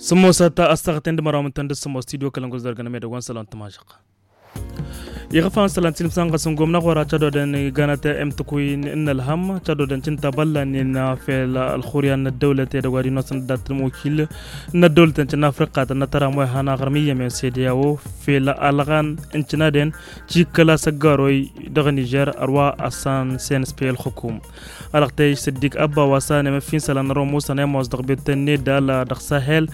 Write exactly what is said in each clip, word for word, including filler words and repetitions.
Sǝmmosăt a-s taɣăten d-măraw mǝntăn d-sǝmmos tidyo kălăngos dăr-găn amedăgg wa n-isălan tǝmažăɣ. Iɣăfan isălan tilǝmsan ɣas n-gomna ɣur-ad-tădodăn ganăt, imtǝkkuy n-ǝlhăm tădodăn cǝnta băllan n-fel ălxuryan n-ăddăwlăt edăgg wa d-inosăn d-ad-tǝlmukil n-ăddăwlăt n-cǝnna afriqatăn n-atăram wa ihăn aɣrǝm iyyămen sedeyawo fel ălɣan n-cǝnadăn. Cikkăl asăggaroy dăɣ-nižer ărwa ăssan senspe ălxukum. Alăɣtăy s-ǝddik ăbba wa s-anem ăffinsălăn ărwa musăn ămoos dăɣ-betăn nedal dăɣ-sahel.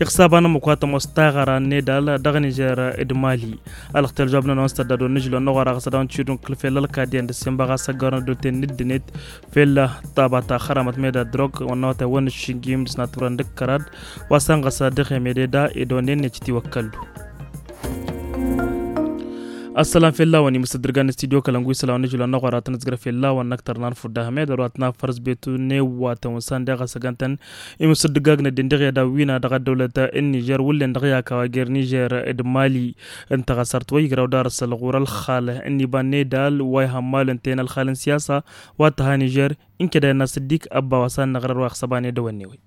Iɣsaban ămmuk wa tămoos taɣăra nedal dăɣ-nižer d-mali. Alăɣtăy ălžoab n-ănwăn s-tădda d-wănnăžlon n-aɣora ɣas ad-dăɣ-nǝšidun kǝl fel ălkadiyăn d-ăssinbăɣ asăggaro n-ăddulten n-ǝddǝnet fel tabata xăramăt meda drog wănnăwătay wănnăššingim d-sănatwărăn d-ǝkkărad. Wa s-ănɣăs dăɣ-emededa ed onnen necǝt iwăkkăllu. Ăssălam fell-awăn imǝsǝddǝrgan n-studyo kălăngu isălam n-ažǝlon n-aɣoratăn ǝzgărăf fell-awăn n-ăktăr n-anfudda hămed ărwat n-afăr s-betu n-ewwatăn wǝnsan deɣ asăgantăn imǝsǝddǝgagn ăddin dăɣ-i ad-awwina dăɣ-ăddăwlăt n-nižer wǝllen dăɣ-i akawa jer-nižer d-mali. Ǝnta ɣas ar t-wăy igraw d-arǝsăl ɣur-ălxal n-iba n-edal wa ihămmal ǝnta-en ălxal n-siyasa wa t-ha nižer. N-keda i-năsǝddik ăbba wa s-ad-năɣrăr wa ixsăban edăwănne-wen.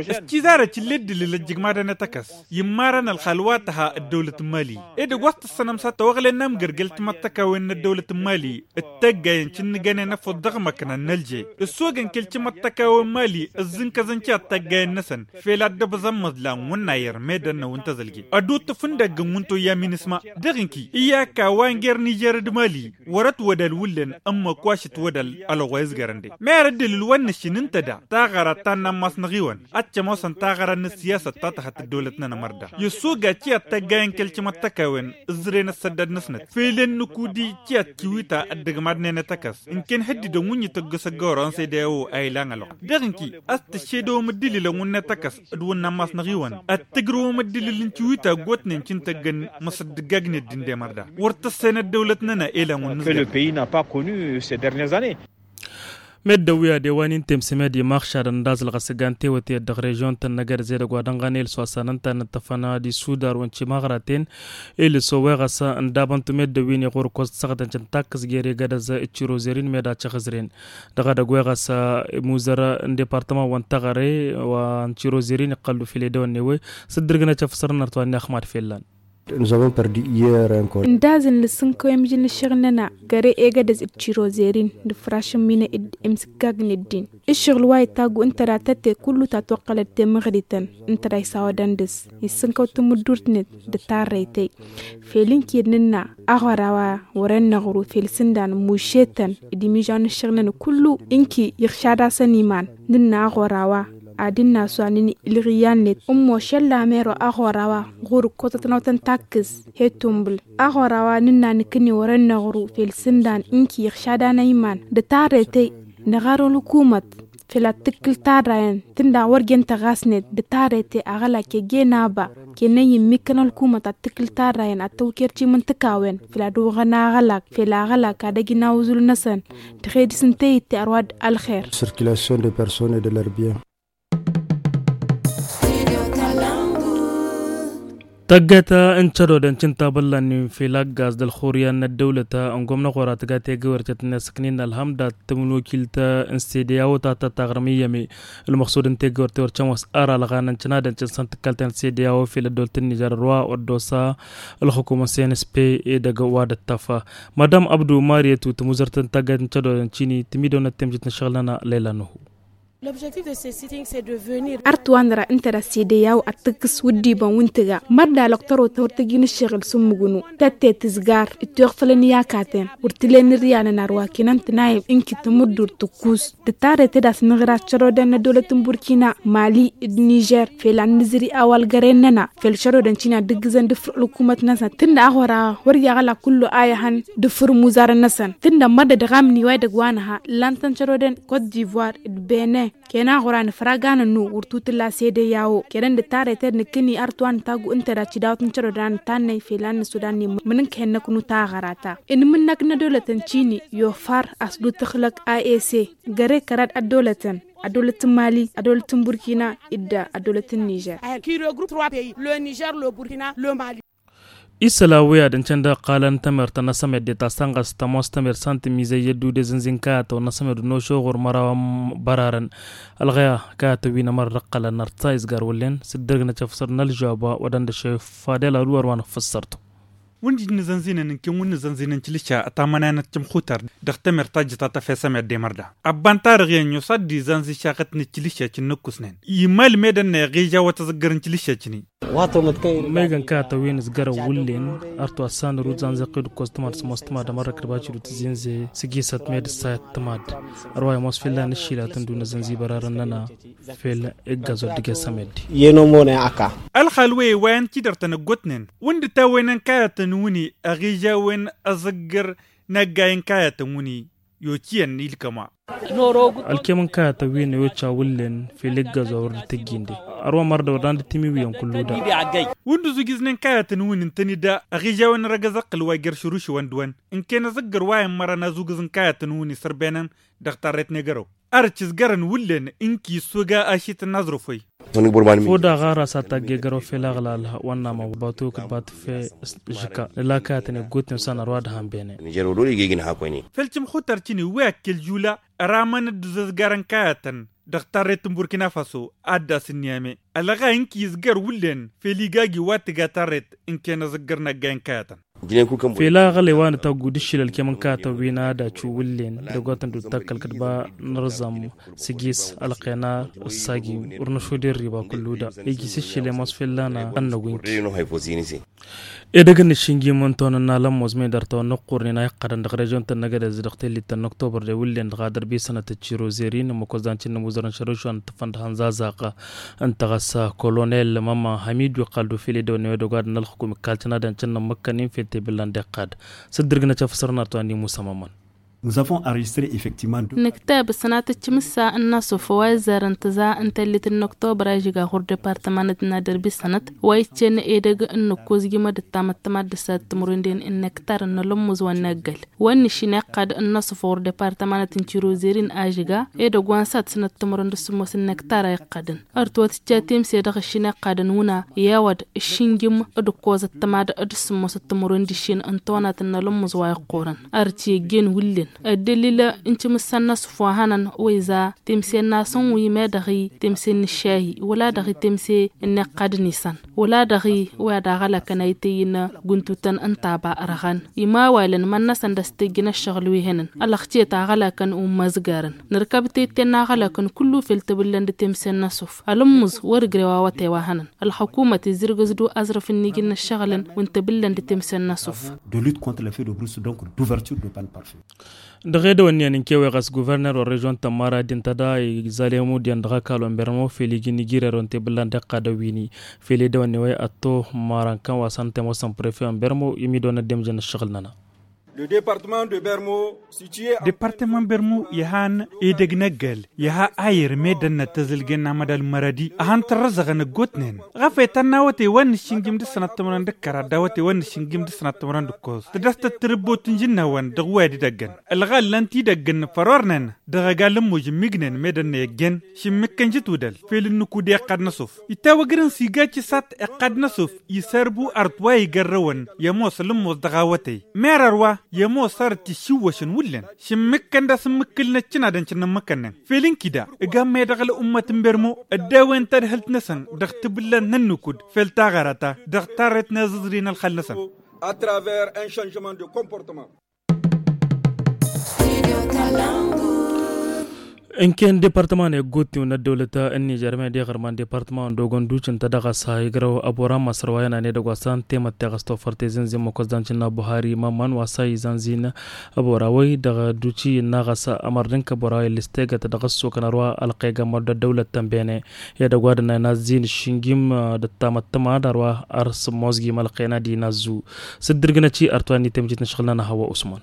Ăščizarăt ill'-e dd-ǝlǝl ăjjǝgmadăn ad-t-ăkkăs i-immarăn ălxal wa t-ha ăddăwlăt n-mali. Edăgg wa s-tǝssănăm s-ad-tăwăɣlăyăn n-amgărgăl timăttăkawen n-ăddăwlăt n-mali d-tăggayăn cǝnnǝgănen ăfuḍ dăɣ-măkna n-ălže. Ǝssogăn kăl-timăttăkawen n-mali ǝzzǝnkăzăn tiyaḍ tăggayăn-năsăn fel ad-dd-ăbẓăn măḍlan wǝnnayăr medăn n-awǝn tăẓălge. Ăduttǝf n-dăgg n-wǝntoyya minisma dăɣ-inki iyyăk a-wa n-jer-nižer d-mali. Wăr-ătwădăl wǝllen ǝmmǝk wa šǝtwădăl ălɣoy ǝzgărăn de. Mer dd-ǝlǝl wa n-nǝššin ǝnta da taɣăra ta n-ammas n-aɣiwăn ad-t-ămoosăn taɣăra n-ăssiyasăt ta tăha-t ăddăwlăt-nănăɣ mărda. Iṣuga tiyaḍ tăggayen kăl-timăttăkawen ǝẓẓǝren ăssăddad-năsnăt fel ănnukudi tiyaḍ tiwita ăddăgmadnen ad-t-ăkkăs. Ǝnken hǝddǝdăn wǝnni tăgg-s ăggăwrăɣăn s-ede a-wo a ilan ălɣăt dăɣ-ǝnki a-s tǝššedăwăm dd-ǝlǝlăn wǝnnet ăkkăs d-wǝnn' ammas n-aɣiwăn ad-tǝgrǝwăm dd-ǝlǝl n-tiwita ăggootnen cǝntăggăn măsăddǝggagnet d-ǝndemăr da. Wăr tăssăyăn ăddăwlăt-nănăɣ elan wǝnn'-s. Meddǝn wi ad-ewa n-inta imsǝmed imaɣšadăn d-azǝlɣăs ǝggan tewăte dăɣ-režion-tăn n-egădăz edăgg wa dănɣăn elǝs wa s-anăn ta n-ǝṭṭăfăn ad-isudar wa n-timaɣraten. Elǝs owe ɣas ǝndabăntu meddǝn wi n-iɣur ǝkkoẓ d-săɣdăn cǝntakkǝs gere egădăz d-tirozerin meda căɣǝzren. Dăɣ-edăgg weɣăs imuzăr n-departăman wa n-taɣăre wa n-tirozerin iqqăllu file dăwănne-we s-dd-ǝrgǝnăt efăsărăn ărtwa n-ixmad fellan. N-zămăn părdi iyyăr. Ǝndazǝn lǝssǝnkăw i-mǝžǝl n-ǝššăɣǝl-nănăɣ găre egădăz d-tirozerin d-ǝfrašăn minăy d-imsǝggagnen ǝddin. Ǝššăɣǝl wa itaggu ǝnta da tătte kullu ta toqqălăt temăɣrităn ǝnta da isawădăn dăɣ-s issǝnkăw tǝmǝddurt-net d-tarrăytăy. Fel ǝnki d-nǝnna aɣora wa wăren năɣru fel sǝndan mušetăn d-imižaw n-ǝššăɣǝl-nănăɣ kullu ǝnki iɣšad-asăn iman. Nǝnna aɣora wa ad-dd-nasu anǝnǝy ǝlɣǝyyan-net ǝmmo šălla mero aɣora wa ɣur-ǝkkoẓăt n-awătăn takkǝs he tumbǝl. Aɣora wa nǝnna nǝkǝnne wăren năɣru fel sǝndan ǝnki iɣšad-anăy iman d-tarrăytăy. Năɣarăn ălkumăt fel ad-tǝkkǝl tarrayăn tǝnda wăr jen tăɣasnet d-tarrăytăy aɣălak ege n-aba. Kăyăn-in-immikkăn ălkumăt ad-tǝkkǝl tarrayăn ad-tăwker timǝntǝkawen fel ad-oɣăn aɣălak fel aɣălak ad-ăj n-awǝzǝl-năsăn. Dăɣ-e dăr-s n-teyǝtte ărwa d-ălxer. Circulation de personnes et de leur bien. Tăgget n-cădodăn cǝnta băllan n-infel aggaz d-ălxuryan n-ăddăwlăt n-gomna ɣur-ad-tǝga tegăwert tăt-năsăknin ălhăm dat-tǝmǝnwăkilt n-sedeyawo ta tătaɣrǝm iyyăme. Ălmăxsud n-tegăwert wăr cămoos ăra ălɣanăn cǝnadăn cǝnsăn tǝkkalten sedeyawo fel ăddol tǝnnižăr ărwa wăr d-osa ălxukum n-cnsp edăgg wa d-ăttăf. Madam abdu mariyătu tǝmuzărt n-tăgget n-cădodăn cini tǝmidăwnăt temjit n-ăššăɣǝl-nănăɣ lăyla nuhu. Ărt wa nǝra ǝnta da sedeyaw ad-tǝkkǝs wǝddiibăn wi n-tǝga mărda lăktărotăn wăr tăjin ǝššăɣǝl s-ǝmmǝgnu. Tătte tǝzgar ǝttoyăɣ făll-ăniyakaten wăr tǝlen ǝrriyalăn ar wa kănăn tǝnayǝm ǝnki tǝmǝddurt tǝkkus. D-tarrăyte d-asnăɣra cărodăn n-ăddăwlăt n-burkina mali d-nižer fel ad-nǝzri a-wa ălgăren-nănăɣ fel cărodăn cini ad-dd-ǝggǝzăn d-afrǝɣ ălkumăt-năsăn tǝnda aɣora wăr-i aɣălak kullu a ihăn d-afrǝɣ imuzarăn-năsăn tǝnda mărda dăɣ-amǝni wa edăgg wa nǝha. Ǝllantăn cărodăn kot divoir d-bene kăyăn aɣora nǝfraganăn-nu wăr tutǝlla sedeyawo kăyăn d-tarrăyte d-nǝkkǝni art wa nǝtaggu ǝnta da cidawăt n-cărodăn ad-nǝtannăy fel ad-nǝsudannăy mǝnǝnkăyăn năknu taɣăra-ta. Inmǝnnăk n-ăddăwlătăn cini i-ofar a-s dd-tǝxlăk a s găre kăra-dd ăddăwlătăn ăddăwlăt n-mali ăddăwlăt n-burkina d-ăddăwlăt n-nižer. Qui regroupe trois pays le niger le burkina le mali. Isălan wi ad-ǝncăn dăɣ-iqqalăn tămert n-asămed de ta s-tănɣăs tămoos tămert s-an tǝmmizăy i-ăddude zǝnzi n-kayătăn n-asămed n-ošoɣur măraw n-bărarăn. Ălɣăya kayătăn wi n-ămăra dăɣ-iqqalăn nărsa izgar wǝllen s-dd-ărg n-ăcăfsăr n-ălžăba wa d-ăndăšăy fadel ad-wăr wa n-ăffăssărtu. Wǝnjǝj n-azănzinen ǝnken wǝnn azănzinen cǝlǝša ătamănayăn ăccăm xutar dăɣ-temert ta jǝtat afesăm i-ad-demăr da ăbban tarăɣ iyyăn yosat d-izanzi šaɣăt n-ăccǝlǝša cǝnnǝkkusnen. Imal medăn n-eɣija wa tăẓǝggăr n-cǝlǝša cǝni. Măygan kayătăn wi n-ǝzgărăn wǝllen ărtu assan rud zanzăqqi d-ǝkkoẓ tǝmad s-ămoos tǝmad ămărrăk d-bacǝdu tǝzzinze s-ǝjisăt med ǝssayăt tǝmad. Ărwa i-ămoos fell-a n-ǝššilatăn d-unăzănzi bărarăn-năna fel iggaẓ oddǝge s-amedde. Ălxal weye wa i-ăncidărtăn ăggootnen wǝnn d-tawăynen kayătăn wǝni ăɣižawen ăẓǝggăr n-aggay n-kayătăn wǝni i-ociyăn ilkăm wa. Ălkem n-kayătăn wi n-e-oca wǝllen fel iggaẓ wa wăr dd-tǝjjǝnde. Ărwa mărdăwăr dan d-timiwiyăn kullu da. Wǝnn d-ǝzugǝznen kayătăn wǝni ǝntăne da ăɣižawen răgăz ăqqǝl wa jer-šărušǝwăn d-wăn ǝnken ăẓǝggăr wa i-ămmărăn azugǝz n-kayătăn wǝni sărbăynăn dăɣ-tarret n-egărăw. Ar cǝzgărăn wǝllen ǝnki issug ašităn n-aẓrǝfăy. Făw daɣ ɣaras ad-tagg egărăw fel aɣlal wa n-namăɣ batuk d-bat fe žǝka nǝla kayătăn eggutnen s-anăr wa d-hambene. Fel cǝmxutar cǝni wi akkel žula ramăn dd-ǝzǝzgarăn kayătăn dăɣ-tarret n-burkina faso ad-dd-asǝnniyame. Ălɣa ǝnki izgăr wǝllen fel igagi wa tǝga tarret ǝnken ăẓǝggăr n-aggay n-kayătăn. Fel aɣălay wa nǝtaggu d-ǝššil ălkem n-kayătăn wi n-ad-acu wǝllen dăgg-wa tăn-dd-takkăl kăd-ba nǝrẓăm s-ǝjis ălqena ăssagi wăr năšod i-ărriba kullu da ijis ǝššil i-mos fell-ana ănnăgu ǝnki. Edăgg n-ašǝnjim n-tonănna lămmoz medăr tawăn n-ăqqurnen a iqqădăn dăɣ-režion-tăn n-agădez dăɣ-tellit-tăn n-oktobăr de wǝllen dăɣ-adăr bisănăt d-tirozerin ămmăk wăzdan cǝnnǝmuzărăn šărǝšwan tǝffăn d-hănzazaq. Ǝnta ɣas kolonel mămma hamidu iqqal d-ufil edăwănne wa dăgg-wa dăɣ-nălxǝkum ikkaltăn ad-ăncănnăm măkkănen fel tebǝllan d-iqqad s-dd-ǝrgǝnăt afăsăr n-artwani musa mămman. Nǝktab s-sănatăt timǝssa n-nasuf wa izzarăn tǝza n-tellit n-oktobăr a ižǝga ɣur-departămanăt n-ad-ărbisănăt wa iccen edăgg n-nǝkkoẓ jimăd d-tamăttămad d-ǝssat timǝrwen d-en n-nektar n-alămmuz wa n-eggăl. Wa n-išin iqqad n-nasuf ɣur-departămanăt n-tirozerin a ižǝga edăgg wa n-sat sănăt timǝrwen d-ǝssǝmmos n-nektar a iqqadăn. Ărtwăt ǝcca temse dăɣ-ǝššin iqqadăn wǝna i-awăd ǝššǝnjǝm d-ǝkkoẓăt tămad d-ǝssǝmmosăt timǝrwen d-ǝššin n-tonatăn n-alămmuz wa iqqurăn. Ărci ăjjeen wǝllen ăddălil n-timǝssa n-asǝf wa hănăn wa iza temse-nasăn wi ma dăɣ-i temse n-ǝššahi wăla dăɣ-i temse n-iqqadăn isăn wăla dăɣ-i wa d-aɣălakăn a ităyyǝn guntutăn n-taba răɣăn. Imawalăn mănnăsăn d-ăstejjăn ăššăɣǝl wi hănăn ălăxcet aɣălakăn ummăzgarăn. Nărkăb tette n-aɣălakăn kullu fel tăbǝllăn d-temse n-asǝf ălǝmmǝẓ wăr-ǝgrew awătay wa hănăn. Ălxukumăt izzǝrgǝz-du aẓrǝf n-iji n-ăššăɣǝlăn wi n-tebǝllăn d-temse n-asǝf. De lutte contre l'effet de brousse donc d'ouverture de panne pare-feu. Dăɣ-edăwănniyen n-kewe ɣas guverner wa režion tămmara din tăda izalemu diyen dăɣ-ăkall wa n-bermo fel iji n-ijirerăw n-tebǝllan d-iqqadăn wini. Fel edăwănne wa ătto marăn kăn wa s-ăntămosăn prefe wa n-bermo imidăwăn ăddemjăn ăššăɣǝl-nănăɣ. Departăman bermu iha n-edăgg n-ăggăl iha ayer medănnăt tăzǝlgen n-amădal n-mărădi. Ahăn tărrăzăɣăn ăggootnen ɣafăy tănn-awătay wa n-nǝššǝnjǝm d-ǝssănăt timǝrăn d-ǝkkăra d-awătay wa n-nǝššǝnjǝm d-ǝssănăt timǝrăn d-ǝkkoẓ tǝdăstăt tǝrǝbbot n-žǝnna-wăn dăɣ-wăyad idăggăn. Ălɣal n-tidăgg n-făror-năn dăɣ-ăgall n-moj ǝmmignen medănnăy ăjjeen šǝmmǝkkăn žǝtudăl fel ǝnnǝkud i-iqqad n-asuf itawăgrăn s-iga cǝsat iqqad n-asuf. Isărbu art wa igărrăwăn i-ămoos ălǝmmos dăɣ-awătay merăr wa i-ămoos arăt išǝwwăšăn wǝllen šǝmmǝkkăn d-asǝmmǝkkǝl n-ăccǝnadăn cǝnnǝmmǝkkănnen fel ǝnkida ǝgammăy dăɣ-ălăummăt n-bermo ăddewăyăn tadhǝlt-năsăn dăɣ-tibǝllan n-ănnǝkud fel taɣăra ta dăɣ-tarret n-eẓǝẓri n-ălxăl-năsăn. Ăntănen departăman i-ăggootnen n-ăddăwlăt n-nižer med iɣărman departăman n-dogon duci ǝnta dăɣ-a-s igrăw ăbora n-măsăr wa inăn edăgg wa s-ăntemăt teɣăs tofăr tezǝnzǝn măkkoẓ d-anjǝnna buhari mămman wa s-a izănzin ăbora wăy dăɣ-duci innă ɣas ămăr d-ǝnk ăbora wăy ăllăstegăt dăɣ-ăssokăn ărwa ălqegămăr d-ăddăwlăt tănbene edăgg wa d-ănnăy n-azzin ǝššǝnjim d-ăttamăttămad ărwa ar s-ămmoẓgim ălqena d-inazzu. S-dd-ǝrgǝnăt i-ărtwa n-itemjit n-ašăɣǝl-nănăɣ hăwwa usman.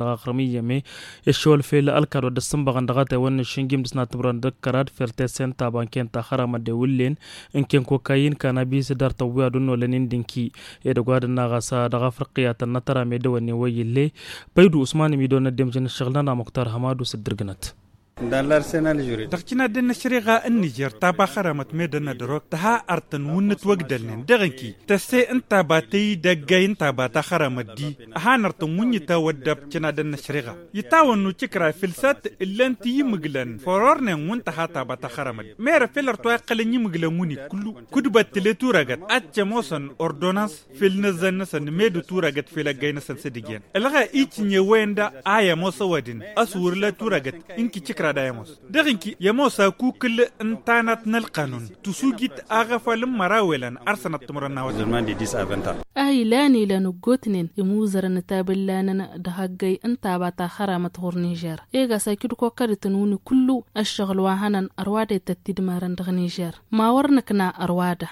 dăɣ-aɣrǝm iyyăme. Iššăwăl fel ălkad wa dd-ăssǝnbăɣăn dăɣ-atay wa n-išǝnjim dăɣ-s n-ad-tǝmrăn d-ǝkkărad fel tesen n-taba n-ken taxăramăt d-ewǝllen n-ken kokayin kanabis d-artăwwi ad-ănnolăn indǝnki. Edăgg wa d-ănnaɣ a-s dăɣ-afriqiyatăn n-atăra medăwănnen wa iyyǝlle. Păydu usman imidăwăn ăddemjăn ǝššăɣǝl-nănăɣ muktar hămadu s-dd-ǝrgǝnăt. Dăɣ-cǝnadăn n-ăššăreɣa n-nižer taba xăramăt medăn ad-ărok tǝha artăn wǝnnǝt wa ǝgdălnen dăɣ-inki tăsse n-taba tăy d-ăggay n-taba ta xăramăt-di. Ăhan artăn wǝnni ta wăddab cǝnadăn n-ăššăreɣa itawănnu cikra fǝlsat ǝllan-t i-imǝglăn fărornen wǝnta ha taba ta xăramăt meră fel ărtwa iqqălăn i-imǝglăn wǝnni kullu. Kudbăt tǝle turagăt ad-t ămoosăn ordonans fel inăzzan-năsăn medu turagăt fel ăggay-năsăn s-dd-ijăn ălɣa icǝnye wa enda a i-ămoos ăwadǝm. Ăswăr la turagăt inki cikrad a i-ămoos dăɣ-inki i-ămoos akukǝl n-tanat n-ălqanun tǝsujit aɣăfal n-măraw elăn ar sănăt timǝrăn n-a-wa. A ilan ilăn ǝggotnen imuzărăn tabǝllanăn dăɣ-ăggăy n-taba ta xăramăt ɣur-nižer. Ega s-akǝd kokkădătăn wǝnni kullu ăššăɣǝl wa hănăn ărwadăy tăt-idmarăn dăɣ-nižer. Ma wăr nǝkna ărwada.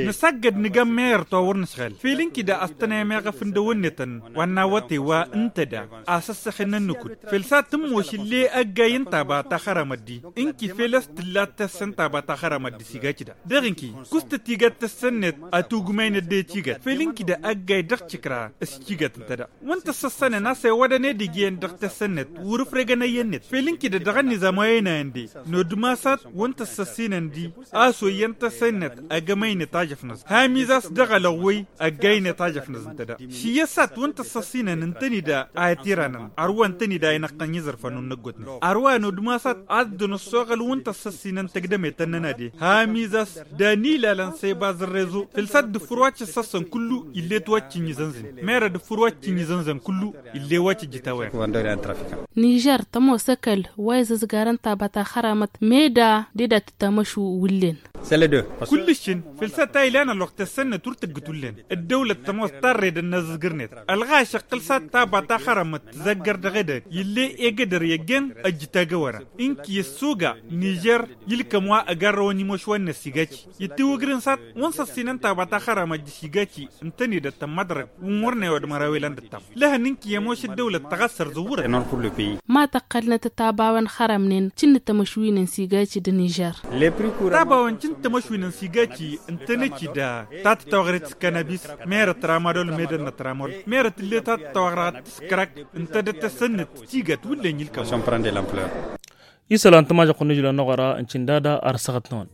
Nǝsăggăd nǝgam meɣăr towăr nǝšɣal fel ǝnki da ăstănăy meɣăf n-dăwănnetăn wa n-awătay wa ǝnta da. Asăssăxen n-ǝnnukud fel s-ad-tǝmmoš ill'-e ăggay n-taba ta xăramăt-di ǝnki fel a-s tǝlla tăssăn taba ta xăramăt-di s-igaj da dăɣ-ǝnki. Kustăt igad tăssăn-net atugmăynet de ăcigad fel ǝnki da ăggay dăɣ-tikra s-icigad ǝnta da. Wǝnta ăssăssănen a-s ewădăn edăgg iyyăn dăɣ-tăssăn-net wăr-ǝfregăn ăyyăn-net fel ǝnki da dăɣ-ănnizam wa ăynayăn de. Nodǝm a-s ad-wǝnta ăssăssinăn di a-s oyyan tăssăn-net. Ăgg ămăynet ajăfnăẓ hamiz a-s dăɣ-ălăɣwăy ăgg ăynet ajăfnăẓ ǝnta da. Šiyya s-ad-wǝnta ăssăssinăn ǝntăni da a itǝranăn ărwa ǝntăni da a inăqqăn i-iẓărfan wa n-ăggootnen. Ărwa nodǝm a-s ad-dd-ăddǝn ăssoɣăl wǝnta ăssăssinăn tăgdămetăn-nănăɣ de hamiz a-s dan ilalăn s-e bazărrezo fel s-ad-dd-ǝffǝr wa t-ăssăssăn kullu. Ill'-e-t wa t-ǝnjǝzănzǝn meră dd-ǝffǝr wa t-ǝnjǝzănzăn kullu. Ill'-e wa t-ǝjjǝt a-wa-en. Nižer tămoos ăkall wa izăzgarăn taba ta xăramăt meda deda tǝttamăšu wǝllen. Sălădăr. Ǝllǝššǝn făll-sat a ilan ălwăqq tăssănnăt wăr tăggǝt wullen. Ăddăwlăt tămoos tarrăy d-ănnăzǝzgărnet ălɣaš ăqqǝl sat taba ta xărămăt tǝzăggăr dăɣ-edăgg ill'-e egădăr i-ăjjeen ăjjǝt agăwăra. Ǝnki ăssuga nižer ilkăm wa ăgarrăwăn imošwăn n-ăssigaci ittiwǝgrǝn sat wăn săssinăn taba ta xărămăt d-ăssigaci ǝntănedăt tămmăḍrăg wăn wăr n-ewăḍ măraw ilan d-ăttam. Lăhăn ǝnki i-ămoš ăddăwlăt tăɣăssăr zǝwwărăn. Ma tăqqălnăt ătabawăn xărămnen cǝnn tamăšwin n-sigaci d-nižer. Tabawăn cǝnn tamăšwin n-sigaci ǝntănăt-dd ta tătawăɣret s-kanabis merăt ramadol medănnăt ramol merăt ǝlle ta tătawăɣret s-krak ǝntădăt tăssănnăt tigat wǝllen ilkăm. Isălan tămažăɣt n-ijlăn n-oɣăra n-cindada ar săɣăt-năwăn.